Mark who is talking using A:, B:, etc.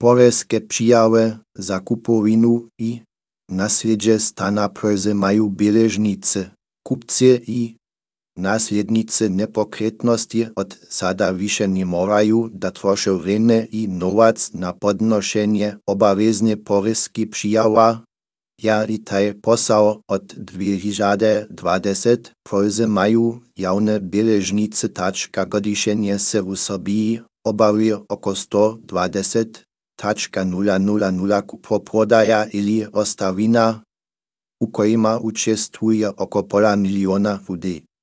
A: Poreske přijawe za kupowinu i nasledźe stana prze maju běležnice, kupcy i nasljednice nepokretnosti od sada više nie moraju da troše vreme i novac na podnošenje obavezne poreske přijawa. Ja i taj posao od 2020 prze maju javne běležnice tačka godišenje se u Srbiji obavuje oko 120,000 kupoprodaja ili ostavina, u kojima učestvuje oko 500 000 ljudi.